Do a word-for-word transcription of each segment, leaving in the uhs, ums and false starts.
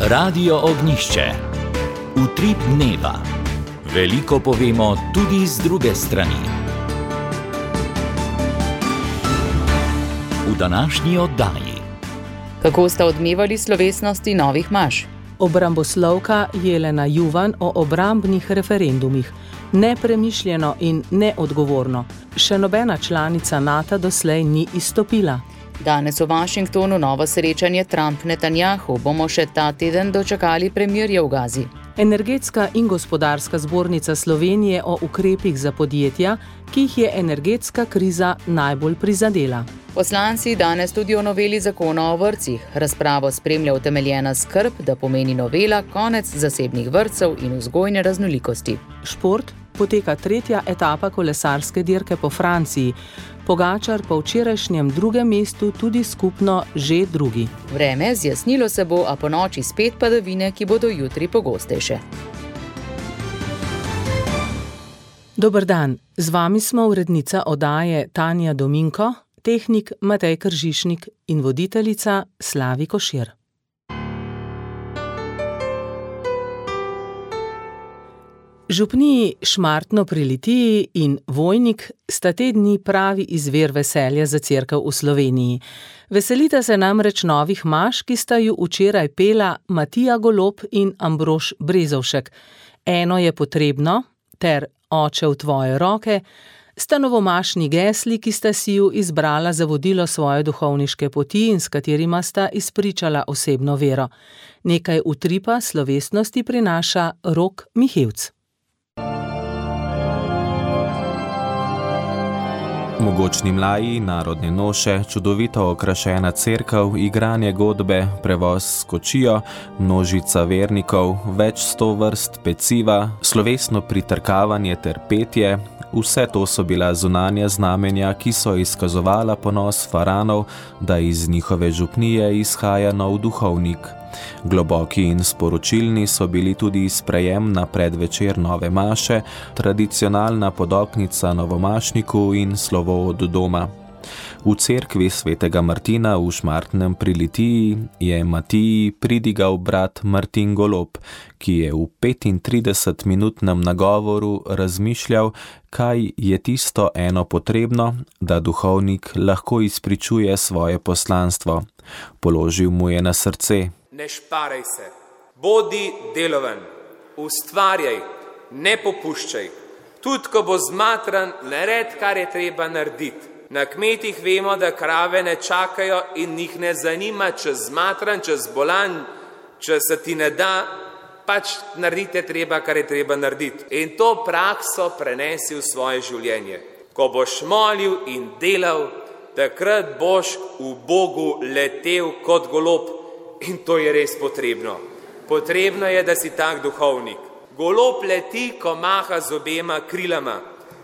Radio Ognjišče. Utrip dneva. Veliko povemo tudi z druge strani. V današnji oddaji. Kako sta odmevali slovesnosti novih maš? Obramboslovka Jelena Juvan o obrambnih referendumih. Nepremišljeno in neodgovorno. Še nobena članica NATO doslej ni izstopila. Danes v Washingtonu novo srečanje Trump-Netanjahu. Bomo še ta teden dočakali premirje v Gazi. Energetska in gospodarska zbornica Slovenije o ukrepih za podjetja, ki jih je energetska kriza najbolj prizadela. Poslanci danes tudi o noveli zakona o vrtcih. Razpravo spremlja utemeljena skrb, da pomeni novela konec zasebnih vrtcev in vzgojne raznolikosti. Šport. Poteka tretja etapa kolesarske dirke po Franciji. Pogačar po včerajšnjem drugem mestu tudi skupno že drugi. Vreme zjasnilo se bo, a ponoči spet padavine, ki bodo jutri pogostejše. Dober dan, z vami smo urednica oddaje Tanja Dominko, tehnik Matej Kržišnik in voditeljica Slavi Košir. Župniji Šmartno pri Litiji in Vojnik sta te dni pravi izvir veselja za cerkev v Sloveniji. Veselita se namreč novih maš, ki sta ju včeraj pela Matija Golob in Ambrož Brezovšek. Eno je potrebno ter Oče v tvoje roke sta novomašni gesli, ki sta si ju izbrala za vodilo svoje duhovniške poti in s katerima sta izpričala osebno vero. Nekaj utripa slovesnosti prinaša Rok Mihevc. Mogočni mlaji, narodne noše, čudovito okrašena cerkev, igranje godbe, prevoz s kočijo, množica vernikov, več sto vrst peciva, slovesno pritrkavanje ter petje, vse to so bila zunanja znamenja, ki so izkazovala ponos faranov, da iz njihove župnije izhaja nov duhovnik. Globoki in sporočilni so bili tudi sprejem na predvečer nove maše, tradicionalna podoknica novomašniku in slovo od doma. V cerkvi svetega Martina v Šmartnem pri Litiji je Matiji pridigal brat Martin Golob, ki je v petintridesetminutnem nagovoru razmišljal, kaj je tisto eno potrebno, da duhovnik lahko izpričuje svoje poslanstvo. Položil mu je na srce. Ne šparaj se, bodi deloven, ustvarjaj, ne popuščaj. Tudi ko bo zmatran, nared, kar je treba narediti. Na kmetih vemo, da krave ne čakajo in njih ne zanima, če zmatran, če zbolan, če se ti ne da, pač naredite treba, kar je treba narediti. In to prakso prenesi v svoje življenje. Ko boš molil in delal, takrat boš v Bogu letel kot golob. In to je res potrebno. Potrebno je, da si tak duhovnik. Golob leti, ko maha z obema krilama,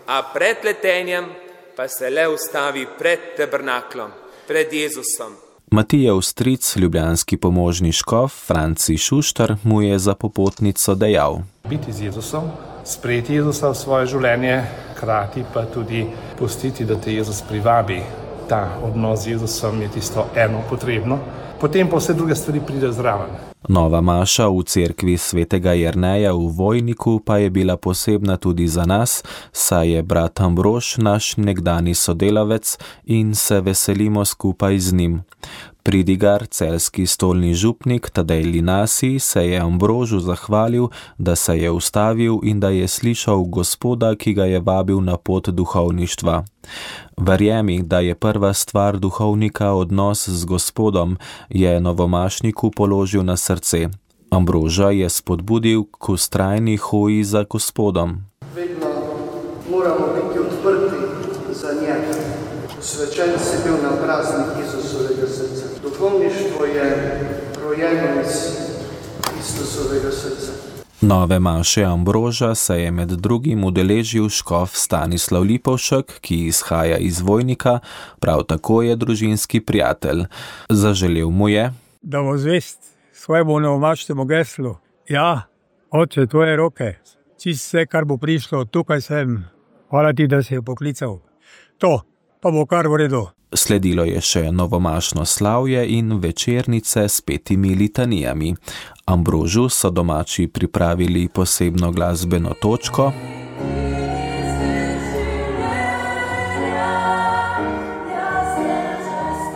a pred letenjem pa se le ustavi pred tabernaklom, pred Jezusom. Matijev stric, ljubljanski pomožni škof Franci Šuštar, mu je za popotnico dejal. Biti z Jezusom, sprejeti Jezusa v svoje življenje, hkrati pa tudi pustiti, da te Jezus privabi. Ta odnos z Jezusom je tisto eno potrebno, potem pa vse druge stvari pride zraven. Nova maša v cerkvi svetega Jerneja v Vojniku pa je bila posebna tudi za nas, saj je brat Ambrož naš nekdani sodelavec in se veselimo skupaj z njim. Pridigar, celjski stolni župnik Tadej Linasi, se je Ambrožu zahvalil, da se je ustavil in da je slišal Gospoda, ki ga je vabil na pot duhovništva. Verjemi, da je prva stvar duhovnika odnos z Gospodom, je novomašniku položil na srce. Ambroža je spodbudil k vztrajni hoji za Gospodom. Vedno moramo biti odprti za njega. Posvečen si bil na praznik Jezusovega srca. Duhovništvo je rojeno iz Kristusovega srca. Nove maše Ambroža se je med drugim udeležil škof Stanislav Lipovšek, ki izhaja iz Vojnika, prav tako je družinski prijatelj. Zaželel mu je, da bo zvest svojemu novomašnemu geslu. Ja, Oče, tvoje roke, čisto vse, kar bo prišlo, tukaj sem. Hvala ti, da si jo poklical. To, pa bo kar v redu. Sledilo je še novomašno slavje in večernice s petimi litanijami. Ambrožu so domači pripravili posebno glasbeno točko,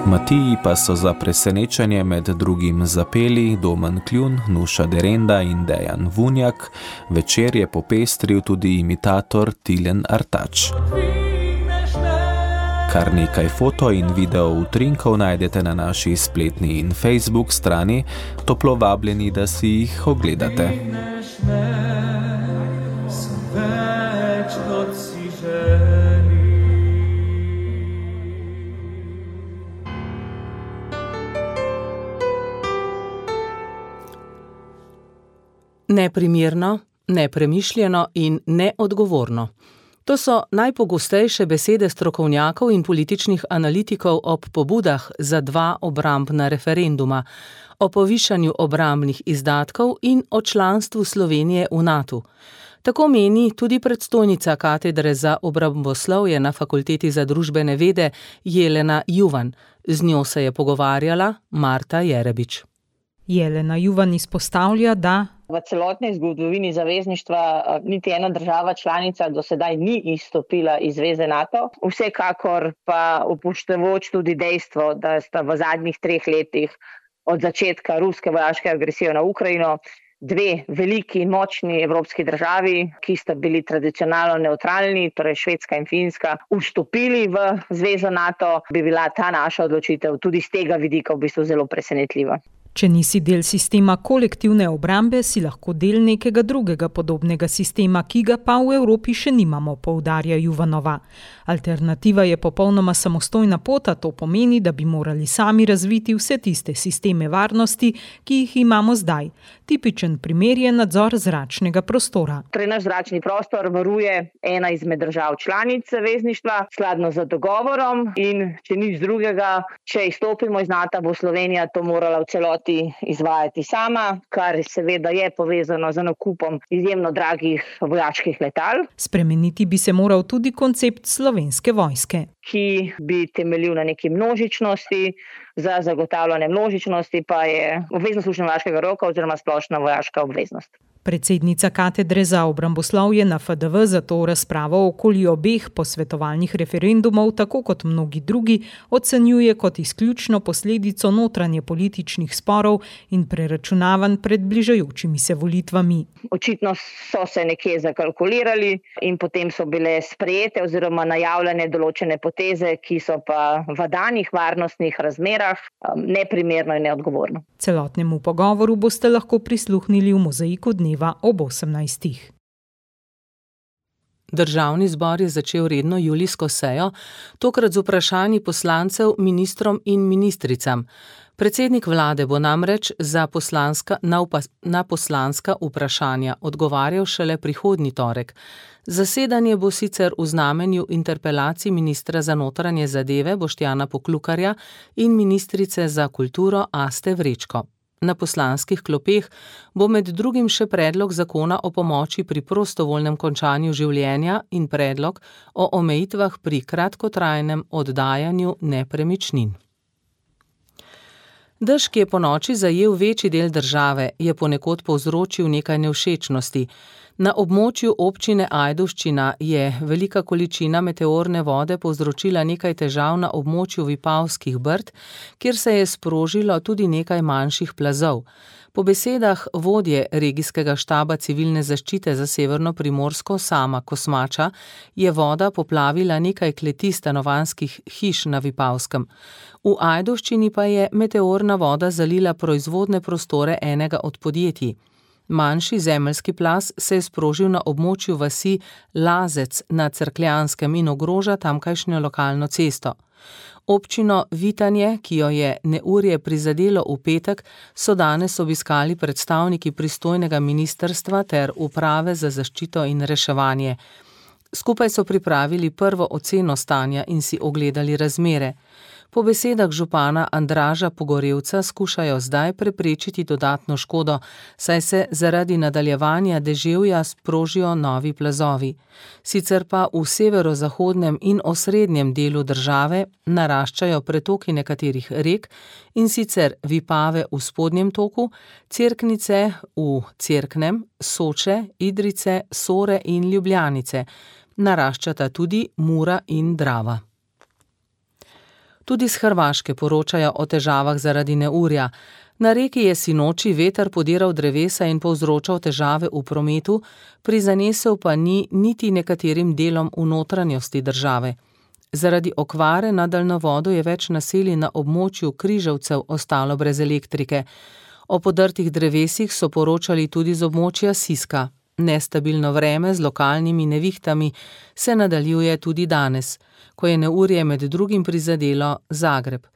Matiji pa so za presenečenje med drugim zapeli Domen Kljun, Nuša Derenda in Dejan Vunjak. Večer je popestril tudi imitator Tilen Artač. Kar nekaj foto in video utrinkov najdete na naši spletni in Facebook strani, toplo vabljeni, da si jih ogledate. Neprimerno, nepremišljeno in neodgovorno. To so najpogostejše besede strokovnjakov in političnih analitikov ob pobudah za dva obrambna referenduma, o povišanju obrambnih izdatkov in o članstvu Slovenije v natu. Tako meni tudi predstojnica katedre za obramboslovje na Fakulteti za družbene vede Jelena Juvan. Z njo se je pogovarjala Marta Jerebič. Jelena Juvan izpostavlja, da v celotni zgodovini zavezništva niti ena država članica do sedaj ni izstopila iz zveze NATO. Vsekakor pa upoštevajoč tudi dejstvo, da sta v zadnjih treh letih od začetka ruske vojaške agresije na Ukrajino dve veliki in močni evropski državi, ki sta bili tradicionalno nevtralni, torej Švedska in Finska, vstopili v zvezo NATO, bi bila ta naša odločitev tudi z tega vidika v bistvu zelo presenetljiva. Če nisi del sistema kolektivne obrambe, si lahko del nekega drugega podobnega sistema, ki ga pa v Evropi še nimamo, poudarja Juvanova. Alternativa je popolnoma samostojna pot, a to pomeni, da bi morali sami razviti vse tiste sisteme varnosti, ki jih imamo zdaj. Tipičen primer je nadzor zračnega prostora. Torej, naš zračni prostor varuje ena izmed držav članic zavezništva, skladno z dogovorom, in če nič drugega, če izstopimo iz NATO, bo Slovenija to morala v celoti izvajati sama, kar seveda je povezano z nakupom izjemno dragih vojaških letal. Spremeniti bi se moral tudi koncept Slovenske vojske, ki bi temeljil na neki množičnosti, za zagotavljanje množičnosti pa je obvezno služenje vojaškega roka oziroma splošna vojaška obveznost. Predsednica katedre za obramboslovje na F D V zato razpravo okoli obeh posvetovalnih referendumov, tako kot mnogi drugi, ocenjuje kot izključno posledico notranje političnih sporov in preračunavanj pred bližajočimi se volitvami. Očitno so se nekje zakalkulirali in potem so bile sprejete oziroma najavljene določene poteze, ki so pa v danih varnostnih razmerah neprimerno in neodgovorno. Celotnemu pogovoru boste lahko prisluhnili v mozaiku dneva ob osemnajstih. Državni zbor je začel redno julijsko sejo, tokrat z vprašanji poslancev ministrom in ministricam. Predsednik vlade bo namreč za poslanska, na, upa, na poslanska vprašanja odgovarjal šele prihodnji torek. Zasedanje bo sicer v znamenju interpelacij ministra za notranje zadeve Boštjana Poklukarja in ministrice za kulturo Aste Vrečko. Na poslanskih klopeh bo med drugim še predlog zakona o pomoči pri prostovoljnem končanju življenja in predlog o omejitvah pri kratkotrajnem oddajanju nepremičnin. Dež, ki je ponoči zajel večji del države, je ponekod povzročil nekaj nevšečnosti. Na območju občine Ajdovščina je velika količina meteorne vode povzročila nekaj težav na območju Vipavskih brd, kjer se je sprožilo tudi nekaj manjših plazov. Po besedah vodje regijskega štaba civilne zaščite za Severno Primorsko Sama Kosmača je voda poplavila nekaj kleti stanovanjskih hiš na Vipavskem. V Ajdovščini pa je meteorna voda zalila proizvodne prostore enega od podjetij. Manjši zemeljski plaz se je sprožil na območju vasi Lazec na Cerkljanskem in ogroža tamkajšnjo lokalno cesto. Občino Vitanje, ki jo je neurje prizadelo v petek, so danes obiskali predstavniki pristojnega ministrstva ter uprave za zaščito in reševanje. Skupaj so pripravili prvo oceno stanja in si ogledali razmere. Po besedah župana Andraža Pogorevca skušajo zdaj preprečiti dodatno škodo, saj se zaradi nadaljevanja deževja sprožijo novi plazovi. Sicer pa v severozahodnem in osrednjem delu države naraščajo pretoki nekaterih rek, in sicer Vipave v spodnjem toku, Cerknice v Cerknem, Soče, Idrice, Sore in Ljubljanice. Naraščata tudi Mura in Drava. Tudi s Hrvaške poročajo o težavah zaradi neurja. Na reki je sinoči veter podiral drevesa in povzročal težave v prometu, prizanesel pa ni niti nekaterim delom v notranjosti države. Zaradi okvare na daljnovodu je več naselij na območju Križevcev ostalo brez elektrike. O podrtih drevesih so poročali tudi z območja Siska. Nestabilno vreme z lokalnimi nevihtami se nadaljuje tudi danes, ko je neurje med drugim prizadelo Zagreb.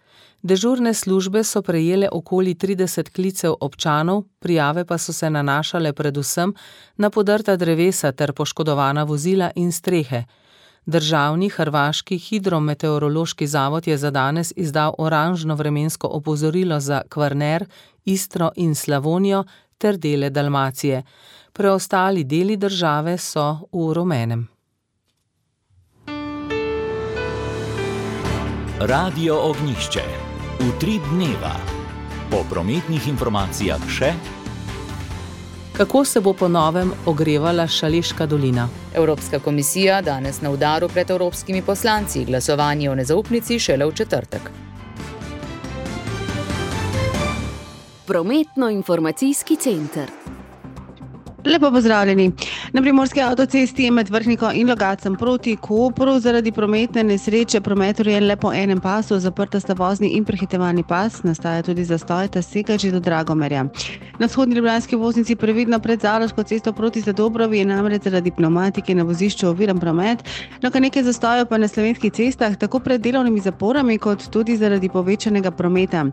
Dežurne službe so prejele okoli trideset klicev občanov, prijave pa so se nanašale predvsem na podrta drevesa ter poškodovana vozila in strehe. Državni hrvaški hidrometeorološki zavod je za danes izdal oranžno vremensko opozorilo za Kvarner, Istro in Slavonijo ter dele Dalmacije. Preostali deli države so v rumenem. Radio Ognjišče. Utrip dneva. Po prometnih informacijah še: kako se bo po novem ogrevala Šaleška dolina. Evropska komisija danes na udaru pred evropskimi poslanci, glasovanje o nezaupnici šele v četrtek. Prometno-informacijski center. Lepo pozdravljeni. Na primorski avtocesti je med Vrhniko in Logatcem proti Kopru zaradi prometne nesreče promet urejen le po enem pasu, zaprta sta vozni in prehitevalni pas, nastaja tudi zastoj, ta sega že do Dragomerja. Na vzhodni ljubljanski voznici previdno pred Zaloško cesto proti Zadobrovi je namreč zaradi pnevmatike na vozišču oviran promet, no kar nekaj zastojev pa na slovenskih cestah, tako pred delovnimi zaporami kot tudi zaradi povečanega prometa.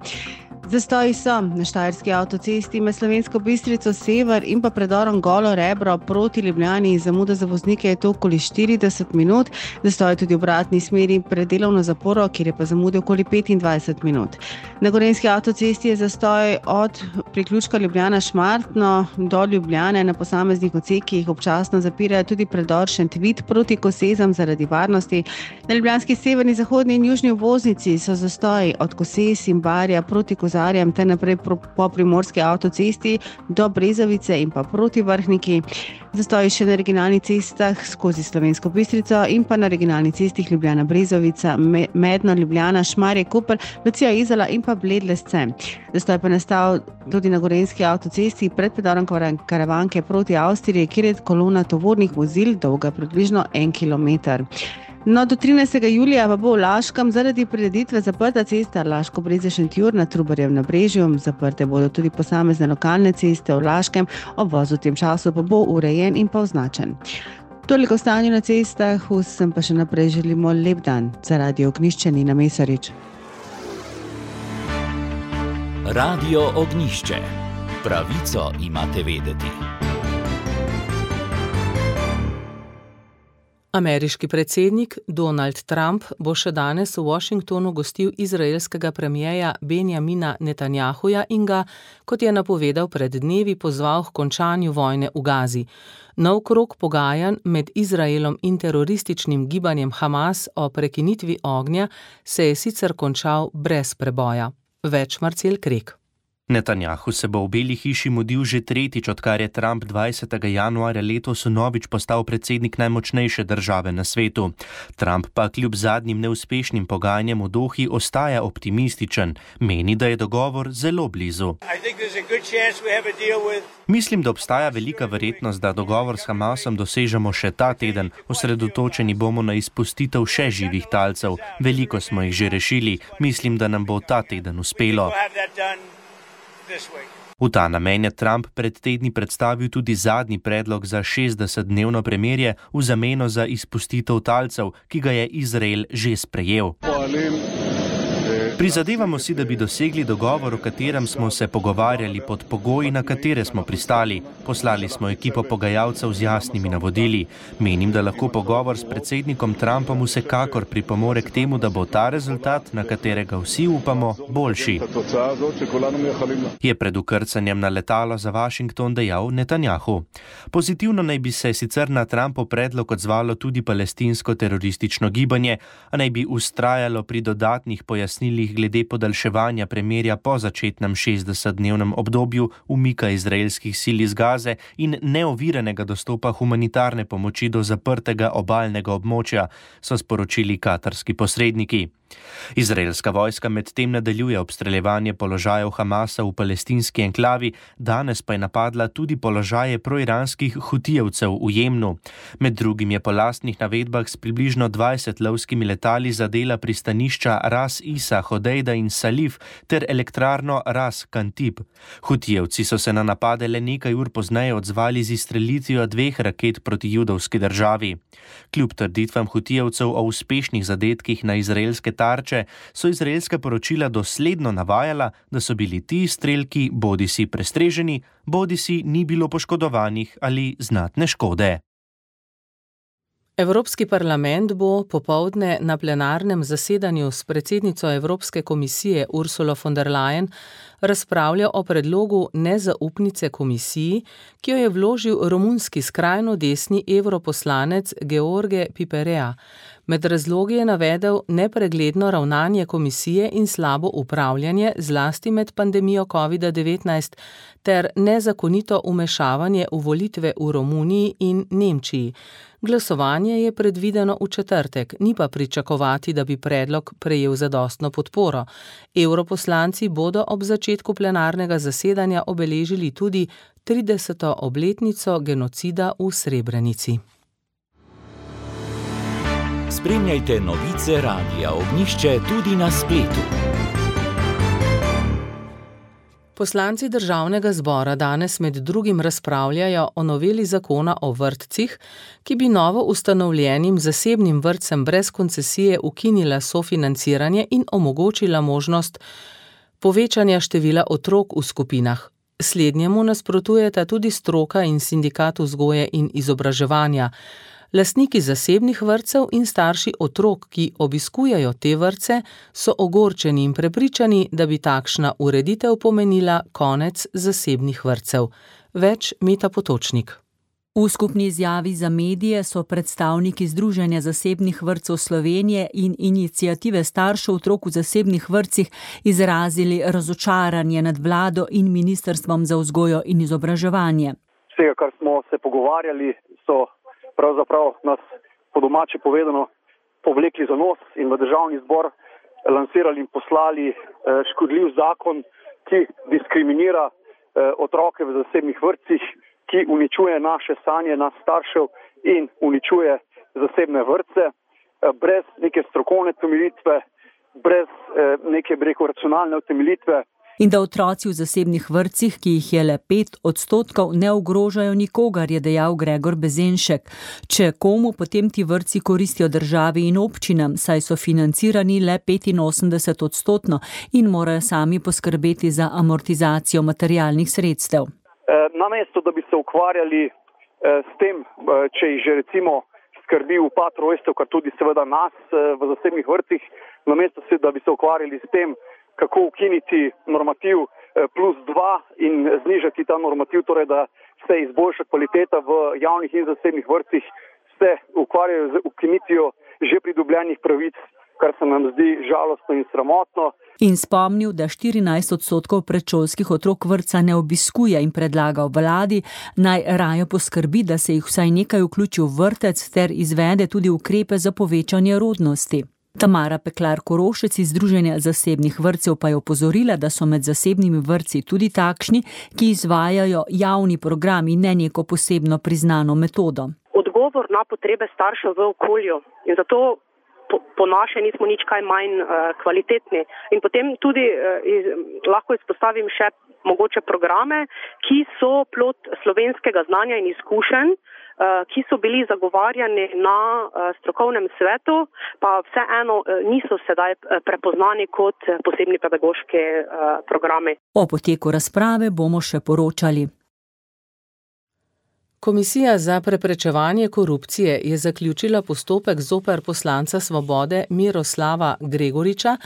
Zastoji so na štajerski avtocesti med Slovensko Bistrico sever in pa predorom Golo Rebro proti Ljubljani, zamuda za voznike je to okoli štirideset minut, zastoj tudi v obratni smeri pred delovno zaporo, kjer je pa zamude okoli petindvajset minut. Na gorenjski avtocesti je zastoj od priključka Ljubljana-Šmartno do Ljubljane, na posameznih odsekih občasno zapirajo tudi predor Šentvid proti Kosezam zaradi varnosti. Na ljubljanski severni, zahodni in južni obvoznici so zastoji od Koses in Barja proti Kozarjem ter naprej po primorski avtocesti do Brezovice in pa proti Vrhniki. Zastoji še na regionalnih cestah skozi Slovensko Bistrico in pa na regionalni cestih Ljubljana-Brezovica, Medno, Ljubljana, Šmarje, Koper, Lucija, Izola in pa Bled-Lesce. Zastoj pa nastal tudi na gorenjski avtocesti pred predorom Karavanke proti Avstriji, kjer je kolona tovornih vozil dolga približno en kilometer. No, do trinajstega julija pa bo v Laškem zaradi prireditve zaprta cesta Laško-Breze-Šentjur na Trubarjevem nabrežju. Zaprte bodo tudi posamezne lokalne ceste v Laškem, obvoz v tem času pa bo urejen in pa označen. Toliko o stanju na cestah, vsem pa še naprej želimo lep dan. Za Radio Ognjišče Nina Mesarič. Radio Ognjišče. Pravico imate vedeti. Ameriški predsednik Donald Trump bo še danes v Washingtonu gostil izraelskega premierja Benjamina Netanjahuja in ga, kot je napovedal pred dnevi, pozval k končanju vojne v Gazi. Nov krog pogajanj med Izraelom in terorističnim gibanjem Hamas o prekinitvi ognja se je sicer končal brez preboja. Več Marcel Krek. Netanjahu se bo v Beli hiši mudil že tretjič, odkar je Trump dvajsetega januarja letos vnovič postal predsednik najmočnejše države na svetu. Trump pa kljub zadnjim neuspešnim pogajanjem v Dohi ostaja optimističen. Meni, da je dogovor zelo blizu. Mislim, da obstaja velika verjetnost, da dogovor s Hamasom dosežemo še ta teden. Osredotočeni bomo na izpustitev še živih talcev. Veliko smo jih že rešili. Mislim, da nam bo ta teden uspelo. V ta namen je Trump pred tedni predstavil tudi zadnji predlog za šestdesetdnevno premirje v zameno za izpustitev talcev, ki ga je Izrael že sprejel. Prizadevamo si, da bi dosegli dogovor, o katerem smo se pogovarjali pod pogoji, na katere smo pristali. Poslali smo ekipo pogajalcev z jasnimi navodili. Menim, da lahko pogovor s predsednikom Trumpom vsekakor pripomore k temu, da bo ta rezultat, na katerega vsi upamo, boljši. Je pred ukrcanjem na letalo za Washington dejal Netanjahu. Pozitivno naj bi se sicer na Trumpov predlog odzvalo tudi palestinsko teroristično gibanje, a naj bi ustrajalo pri dodatnih pojasnilih glede podaljševanja premirja po začetnem šestdesetdnevnem obdobju umika izraelskih sil iz Gaze in neoviranega dostopa humanitarne pomoči do zaprtega obalnega območja, so sporočili katarski posredniki. Izraelska vojska medtem nadaljuje obstreljevanje položajev Hamasa v palestinski enklavi, danes pa je napadla tudi položaje proiranskih hutijevcev v Jemnu. Med drugim je po lastnih navedbah s približno dvajset lovskimi letali zadela pristanišča Ras Isa, Hodejda in Salif ter elektrarno Ras Kantib. Hutijevci so se na napade le nekaj ur pozneje odzvali z izstrelitvijo dveh raket proti judovski državi. Kljub trditvam hutijevcev o uspešnih zadetkih na izraelske tarče, so izraelska poročila dosledno navajala, da so bili ti strelki bodisi prestreženi, bodisi ni bilo poškodovanih ali znatne škode. Evropski parlament bo popoldne na plenarnem zasedanju s predsednico Evropske komisije Ursulo von der Leyen razpravljal o predlogu nezaupnice komisiji, ki jo je vložil romunski skrajno desni evroposlanec George Piperea. Med razlogi je navedel nepregledno ravnanje komisije in slabo upravljanje, zlasti med pandemijo kovida devetnajst, ter nezakonito umešavanje v volitve v Romuniji in Nemčiji. Glasovanje je predvideno v četrtek, ni pa pričakovati, da bi predlog prejel zadostno podporo. Evroposlanci bodo ob začetku plenarnega zasedanja obeležili tudi trideseto obletnico genocida v Srebrenici. Spremljajte novice Radia Ognjišče tudi na spletu. Poslanci Državnega zbora danes med drugim razpravljajo o noveli zakona o vrtcih, ki bi novo ustanovljenim zasebnim vrtcem brez koncesije ukinila sofinanciranje in omogočila možnost povečanja števila otrok v skupinah. Slednjemu nasprotujeta tudi stroka in sindikat vzgoje in izobraževanja. Lastniki zasebnih vrtcev in starši otrok, ki obiskujejo te vrtce, so ogorčeni in prepričani, da bi takšna ureditev pomenila konec zasebnih vrtcev. Več Meta Potočnik. V skupni izjavi za medije so predstavniki Združenja zasebnih vrtcev Slovenije in iniciative staršev otrok v zasebnih vrtcih izrazili razočaranje nad vlado in ministrstvom za vzgojo in izobraževanje. Vsega, kar smo se pogovarjali, so pravzaprav nas po domače povedano povlekli za nos in v državni zbor lansirali in poslali eh, škodljiv zakon, ki diskriminira eh, otroke v zasebnih vrtcih, ki uničuje naše sanje, nas staršev in uničuje zasebne vrtce, eh, brez neke strokovne utemeljitve, brez eh, neke, bi rekel, racionalne utemeljitve. In da otroci v zasebnih vrtcih, ki jih je le pet odstotkov, ne ogrožajo nikogar, je dejal Gregor Bezenšek. Če komu, potem ti vrtci koristijo državi in občinam, saj so financirani le petinosemdeset odstotno in morajo sami poskrbeti za amortizacijo materialnih sredstev. Namesto, da bi se ukvarjali s tem, če jih že recimo skrbi upad rojstev, kar tudi seveda nas v zasebnih vrtcih, namesto, da bi se ukvarjali s tem, kako ukiniti normativ plus dva in znižati ta normativ, torej da se izboljša kvaliteta v javnih in zasebnih vrtcih, se ukvarjajo z ukinitijo že pridobljenih pravic, kar se nam zdi žalostno in sramotno. In spomnil, da štirinajst odstotkov predšolskih otrok vrtca ne obiskuje in predlagal vladi, naj raje poskrbi, da se jih vsaj nekaj vključi v vrtec ter izvede tudi ukrepe za povečanje rodnosti. Tamara Peklar Korošec iz Združenja zasebnih vrtcev pa je opozorila, da so med zasebnimi vrtci tudi takšni, ki izvajajo javni program in ne neko posebno priznano metodo. Odgovor na potrebe staršev v okolju in zato po, po naše nismo nič kaj manj uh, kvalitetni. In potem tudi uh, iz, lahko izpostavim še mogoče programe, ki so plod slovenskega znanja in izkušenj, ki so bili zagovarjani na strokovnem svetu, pa vseeno niso sedaj prepoznani kot posebni pedagoški programi. O poteku razprave bomo še poročali. Komisija za preprečevanje korupcije je zaključila postopek zoper poslanca Svobode Miroslava Gregoriča,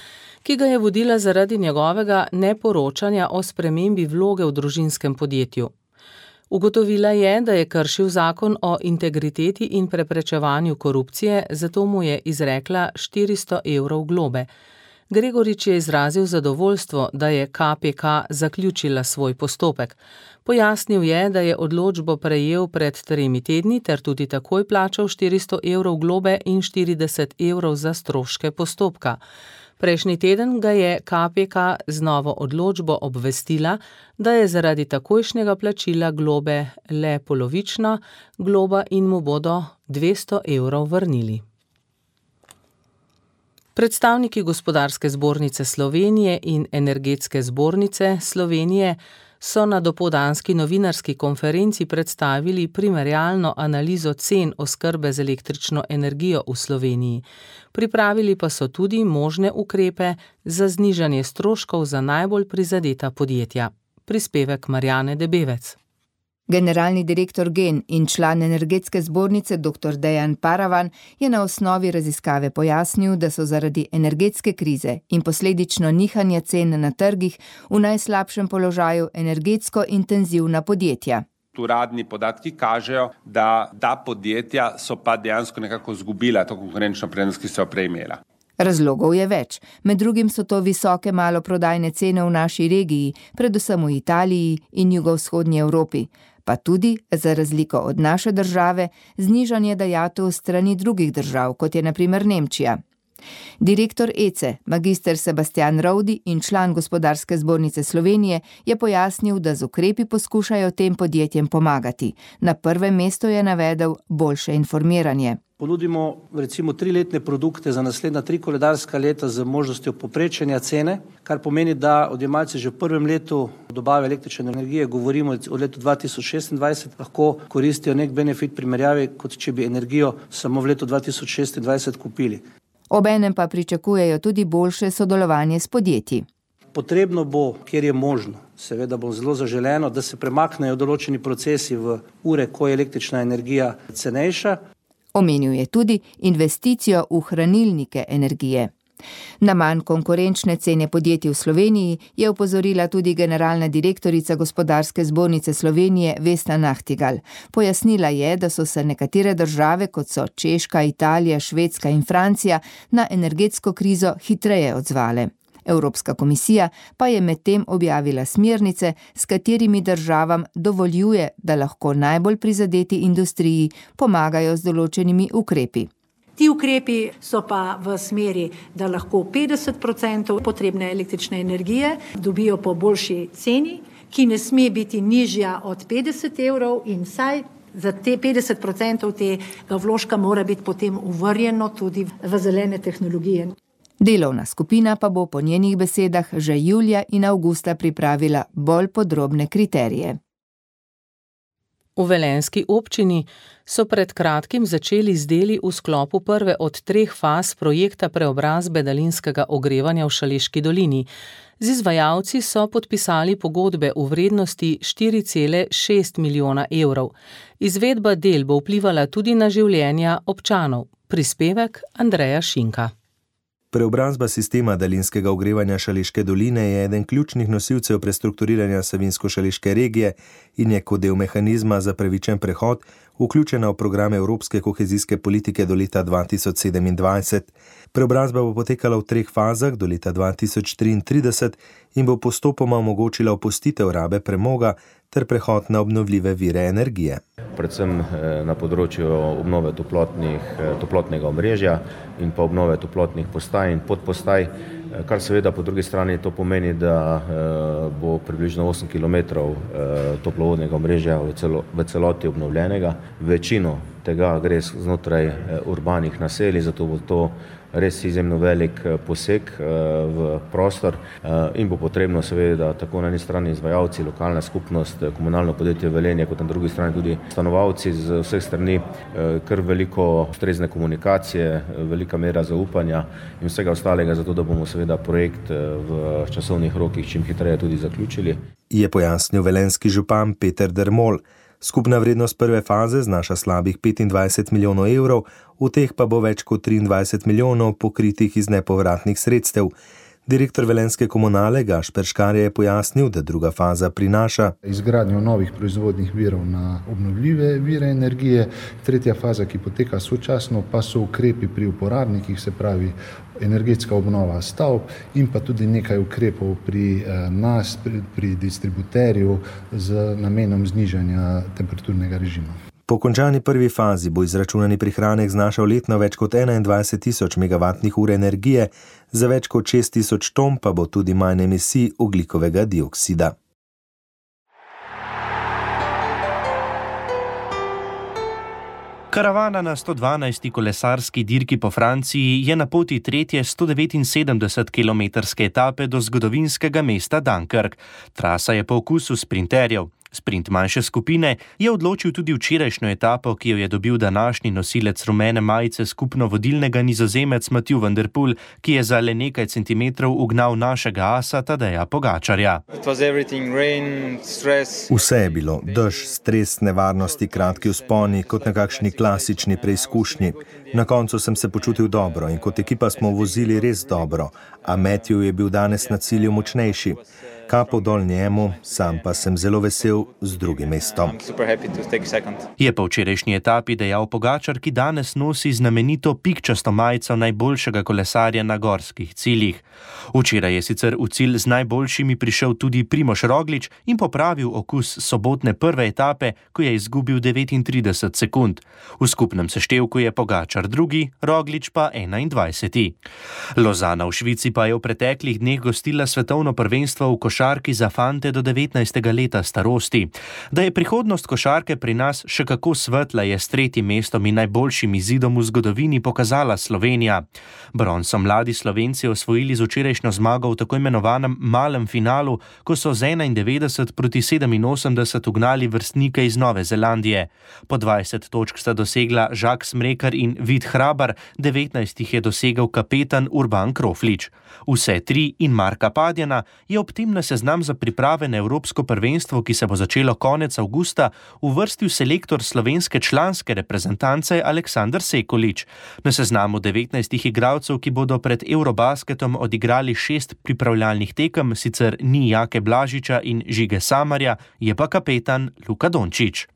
ki ga je vodila zaradi njegovega neporočanja o spremembi vloge v družinskem podjetju. Ugotovila je, da je kršil zakon o integriteti in preprečevanju korupcije, zato mu je izrekla štiristo evrov globe. Gregorič je izrazil zadovoljstvo, da je K P K zaključila svoj postopek. Pojasnil je, da je odločbo prejel pred tremi tedni ter tudi takoj plačal štiristo evrov globe in štirideset evrov za stroške postopka. Prejšnji teden ga je K P K z novo odločbo obvestila, da je zaradi takojšnjega plačila globe le polovična globa in mu bodo dvesto evrov vrnili. Predstavniki Gospodarske zbornice Slovenije in Energetske zbornice Slovenije so na dopoldanski novinarski konferenci predstavili primerjalno analizo cen oskrbe z električno energijo v Sloveniji. Pripravili pa so tudi možne ukrepe za znižanje stroškov za najbolj prizadeta podjetja. Prispevek Marjane Debevec. Generalni direktor Gen in član Energetske zbornice doktor Dejan Paravan je na osnovi raziskave pojasnil, da so zaradi energetske krize in posledično nihanja cen na trgih v najslabšem položaju energetsko intenzivna podjetja. Uradni podatki kažejo, da ta podjetja so pa dejansko nekako izgubila to konkurenčno prednost, ki so jo prej imela. Razlogov je več. Med drugim so to visoke maloprodajne cene v naši regiji, predvsem v Italiji in jugovzhodnji Evropi, pa tudi, za razliko od naše države, znižanje dajatev strani drugih držav, kot je na primer Nemčija. Direktor E C E, magister Sebastian Rovdi in član Gospodarske zbornice Slovenije, je pojasnil, da z ukrepi poskušajo tem podjetjem pomagati. Na prvem mestu je navedel boljše informiranje. Ponudimo recimo triletne produkte za naslednja tri koledarska leta z možnostjo poprečenja cene, kar pomeni, da odjemalci že v prvem letu dobave električne energije, govorimo o letu dva tisoč šestindvajset, lahko koristijo nek benefit primerjavi, kot če bi energijo samo v letu dva tisoč šestindvajset kupili. Obenem pa pričakujejo tudi boljše sodelovanje s podjetji. Potrebno bo, kjer je možno, seveda bo zelo zaželeno, da se premaknejo določeni procesi v ure, ko je električna energija cenejša. Omenil je tudi investicijo v hranilnike energije. Na manj konkurenčne cene podjetij v Sloveniji je opozorila tudi generalna direktorica Gospodarske zbornice Slovenije Vesna Nahtigal. Pojasnila je, da so se nekatere države, kot so Češka, Italija, Švedska in Francija, na energetsko krizo hitreje odzvale. Evropska komisija pa je medtem objavila smernice, s katerimi državam dovoljuje, da lahko najbolj prizadeti industriji pomagajo z določenimi ukrepi. Ti ukrepi so pa v smeri, da lahko petdeset procentov potrebne električne energije dobijo po boljši ceni, ki ne sme biti nižja od petdeset evrov in vsaj za te petdeset procentov tega vložka mora biti potem uvrjeno tudi v zelene tehnologije. Delovna skupina pa bo po njenih besedah že julija in avgusta pripravila bolj podrobne kriterije. V velenjski občini so pred kratkim začeli z deli v sklopu prve od treh faz projekta preobrazbe daljinskega ogrevanja v Šaleški dolini. Z izvajalci so podpisali pogodbe v vrednosti štiri cele šest milijona evrov. Izvedba del bo vplivala tudi na življenja občanov. Prispevek Andreja Šinka. Preobrazba sistema daljinskega ogrevanja Šaleške doline je eden ključnih nosilcev prestrukturiranja Savinjsko-Šaleške regije in je kot del mehanizma za pravičen prehod vključena v program Evropske kohezijske politike do leta dva tisoč sedemindvajset. Preobrazba bo potekala v treh fazah do leta dva tisoč triintrideset in bo postopoma omogočila opustitev rabe premoga ter prehod na obnovljive vire energije. Predvsem na področju obnove toplotnih, toplotnega omrežja in pa obnove toplotnih postaj in podpostaj, kar seveda po drugi strani to pomeni, da bo približno osem kilometrov toplovodnega omrežja v, celo, v celoti obnovljenega. Večino tega gre znotraj urbanih naselij, zato bo to res izjemno velik poseg v prostor in bo potrebno seveda tako na eni strani izvajalci, lokalna skupnost, komunalno podjetje Velenje, kot na drugi strani tudi stanovalci z vseh strani kar veliko ustrezne komunikacije, velika mera zaupanja in vsega ostalega, zato da bomo seveda projekt v časovnih rokih čim hitreje tudi zaključili. Je pojasnil velenjski župan Peter Dermol. Skupna vrednost prve faze znaša slabih petindvajset milijonov evrov, v teh pa bo več kot triindvajset milijonov pokritih iz nepovratnih sredstev. Direktor velenjske komunale Gašper Škarje je pojasnil, da druga faza prinaša izgradnjo novih proizvodnih virov na obnovljive vire energije, tretja faza, ki poteka sočasno, pa so ukrepi pri uporabnikih, se pravi energetska obnova stavb in pa tudi nekaj ukrepov pri nas, pri, pri distributerju z namenom znižanja temperaturnega režima. Po končani prvi fazi bo izračunani prihranek znašal letno več kot enaindvajset tisoč megavatnih ur energije, za več kot šest tisoč ton pa bo tudi manj emisij ogljikovega dioksida. Karavana na sto dvanajsti kolesarski dirki po Franciji je na poti tretje sto devetinsedemdesetkilometrske etape do zgodovinskega mesta Dunkirk. Trasa je po okusu sprinterjev. Sprint manjše skupine je odločil tudi včerajšnjo etapo, ki jo je dobil današnji nosilec rumene majice skupno vodilnega Nizozemec Mathieu van der Poel, ki je za le nekaj centimetrov ugnal našega asa Tadeja Pogačarja. Vse je bilo, dež, stres, nevarnosti, kratki vzponi, kot na kakšni klasični preizkušnji. Na koncu sem se počutil dobro in kot ekipa smo vozili res dobro, a Matthew je bil danes na cilju močnejši. Kapo dol njemu, sam pa sem zelo vesel z drugim mestom. Je po včerajšnji etapi dejal Pogačar, ki danes nosi znamenito pikčasto majico najboljšega kolesarja na gorskih ciljih. Včeraj je sicer v cilj z najboljšimi prišel tudi Primož Roglič in popravil okus sobotne prve etape, ko je izgubil devetintrideset sekund. V skupnem seštevku je Pogačar drugi, Roglič pa enaindvajseti. Lozana v Švici pa je v preteklih dneh gostila svetovno prvenstvo v košarki za fante do devetnajstega leta starosti. Da je prihodnost košarke pri nas še kako svetla, je s tretjim mestom in najboljšim izidom v zgodovini pokazala Slovenija. Bron so mladi Slovenci osvojili z včerajšnjo zmago v tako imenovanem malem finalu, ko so z enaindevetdeset proti sedeminosemdeset ugnali vrstnike iz Nove Zelandije. Po dvajset točk sta dosegla Žak Smrekar in Vid Hrabar, devetnajst jih je dosegel kapetan Urban Kroflič. Vse tri in Marka Padjana je ob tem na seznam za priprave na Evropsko prvenstvo, ki se bo začelo konec avgusta, uvrstil selektor slovenske članske reprezentance Aleksander Sekulič. Na seznamu devetnajstih igralcev, ki bodo pred Eurobasketom odigrali šest pripravljalnih tekem, sicer ni Jake Blažiča in Žige Samarja, je pa kapetan Luka Dončić.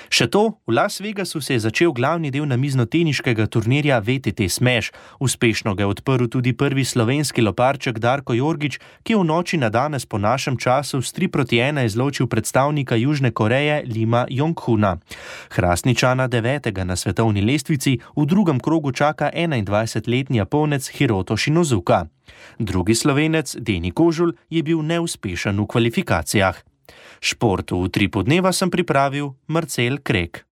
Še to, v Las Vegasu se je začel glavni del namiznoteniškega turnirja V T T Smash. Uspešno ga je odprl tudi prvi slovenski loparček Darko Jorgič, ki je v noči na danes po našem času s tri proti ena izločil predstavnika Južne Koreje Lima Jong-huna. Hrastničana devetega na svetovni lestvici v drugem krogu čaka enaindvajsetletni Japonec Hiroto Shinozuka. Drugi Slovenec, Deni Kožul, je bil neuspešen v kvalifikacijah. Šport v Utripu dneva sem pripravil Marcel Krek.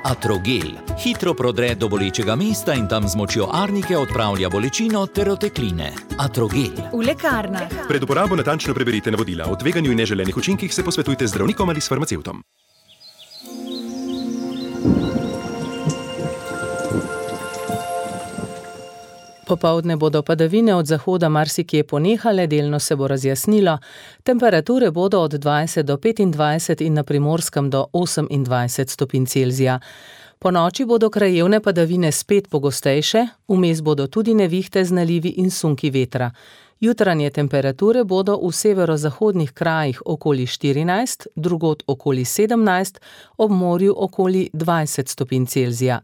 Atrogel hitro prodre do bolečega mesta in tam z močjo arnike odpravlja bolečino ter otekline. Atrogel. V lekarnah. Pred uporabo natančno preberite navodila. O tveganju in neželenih učinkih se posvetujte z zdravnikom ali s farmacevtom. Popoldne bodo padavine od zahoda marsikje ponehale, delno se bo razjasnilo. Temperature bodo od dvajset do petindvajset in na Primorskem do osemindvajset stopinj Celzija. Po noči bodo krajevne padavine spet pogostejše, vmes bodo tudi nevihte z nalivi in sunki vetra. Jutranje temperature bodo v severozahodnih krajih okoli štirinajst, drugod okoli sedemnajst, ob morju okoli dvajset stopinj Celzija.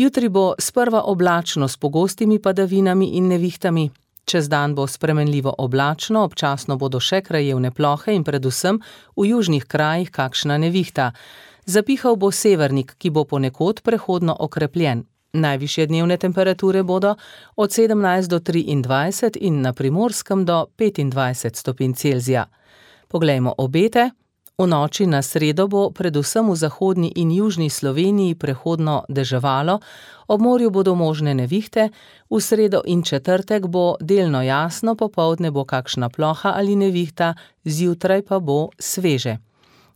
Jutri bo sprva oblačno s pogostimi padavinami in nevihtami. Čez dan bo spremenljivo oblačno, občasno bodo še krajevne plohe in predvsem v južnih krajih kakšna nevihta. Zapihal bo severnik, ki bo ponekod prehodno okrepljen. Najvišje dnevne temperature bodo od sedemnajst do triindvajset in na Primorskem do petindvajset stopinj Celzija. Poglejmo obete. V noči na sredo bo predvsem v zahodni in južni Sloveniji prehodno deževalo, ob morju bodo možne nevihte, v sredo in četrtek bo delno jasno, popoldne bo kakšna ploha ali nevihta, zjutraj pa bo sveže.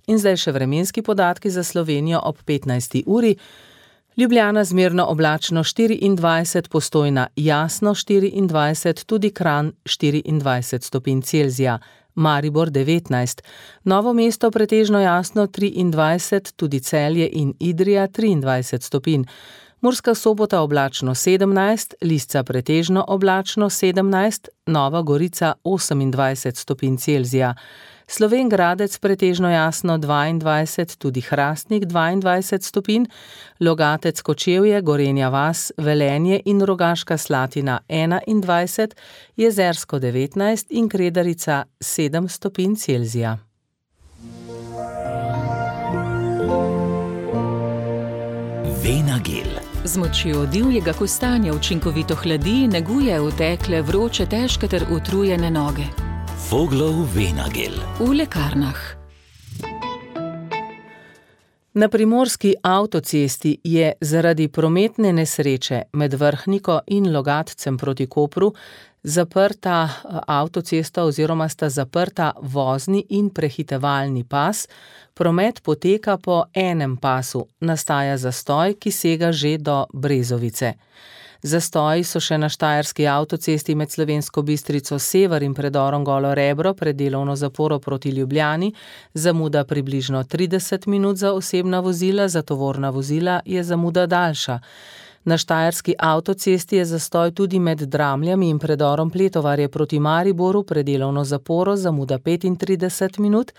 In zdaj še vremenski podatki za Slovenijo ob petnajsti uri. Ljubljana zmerno oblačno štiriindvajset, Postojna jasno štiriindvajset, tudi Kranj štiriindvajset stopinj Celzija. Maribor devetnajst, Novo mesto pretežno jasno triindvajset, tudi Celje in Idrija triindvajset stopinj. Murska Sobota oblačno sedemnajst, Lisca pretežno oblačno sedemnajst, Nova Gorica osemindvajset stopinj Celzija. Slovenj Gradec pretežno jasno dvaindvajset, tudi Hrastnik dvaindvajset stopinj, Logatec Kočevje, Gorenja vas, Velenje in Rogaška Slatina enaindvajset, Jezersko devetnajst in Kredarica sedem stopinj Celzija. Venagel. Z močjo divjega kostanja učinkovito hladi, neguje utekle, vroče, težke ter utrujene noge. Voglov Venagel. V lekarnah. Na primorski avtocesti je zaradi prometne nesreče med Vrhniko in Logatcem proti Kopru zaprta avtocesta oziroma sta zaprta vozni in prehitevalni pas. Promet poteka po enem pasu, nastaja zastoj, ki sega že do Brezovice. Zastoji so še na štajerski avtocesti med Slovensko Bistrico sever in predorom Golo Rebro pred delovno zaporo proti Ljubljani, zamuda približno trideset minut za osebna vozila, za tovorna vozila je zamuda daljša. Na štajerski avtocesti je zastoj tudi med Dramljami in predorom Pletovarje proti Mariboru pred delovno zaporo, zamuda petintrideset minut.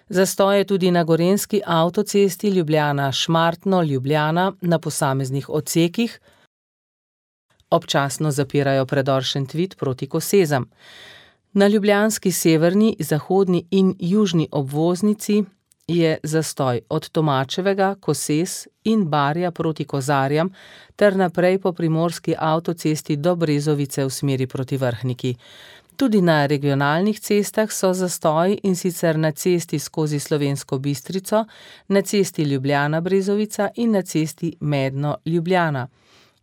Zastoj je tudi na gorenjski avtocesti Ljubljana-Šmartno-Ljubljana na posameznih odsekih. Občasno zapirajo predor Šentvid proti Kosezam. Na ljubljanski severni, zahodni in južni obvoznici je zastoj od Tomačevega, Kosez in Barja proti Kozarjam ter naprej po primorski avtocesti do Brezovice v smeri proti Vrhniki. Tudi na regionalnih cestah so zastoji, in sicer na cesti skozi Slovensko Bistrico, na cesti Ljubljana-Brezovica in na cesti Medno-Ljubljana.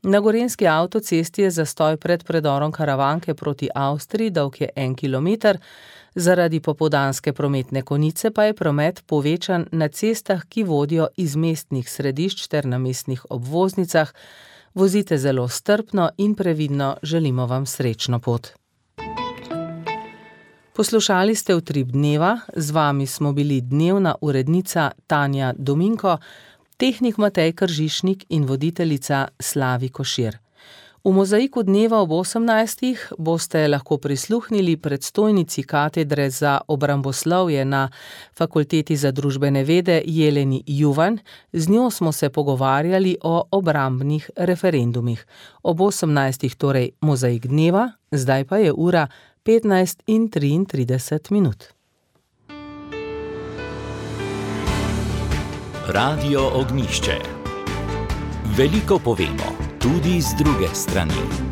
Na gorenjski avtocesti je zastoj pred predorom Karavanke proti Avstriji, dolg je en kilometer, zaradi popoldanske prometne konice pa je promet povečan na cestah, ki vodijo iz mestnih središč ter na mestnih obvoznicah. Vozite zelo strpno in previdno, želimo vam srečno pot. Poslušali ste Utrip dneva, z vami smo bili dnevna urednica Tanja Dominko, tehnik Matej Kržišnik in voditeljica Slavi Košir. V Mozaiku dneva ob osemnajstih boste lahko prisluhnili predstojnici katedre za obramboslovje na Fakulteti za družbene vede Jeleni Juvan. Z njo smo se pogovarjali o obrambnih referendumih. Ob osemnajstih torej Mozaik dneva, zdaj pa je ura petnajst in triintrideset minut. Radio Ognjišče. Veliko povemo, tudi z druge strani.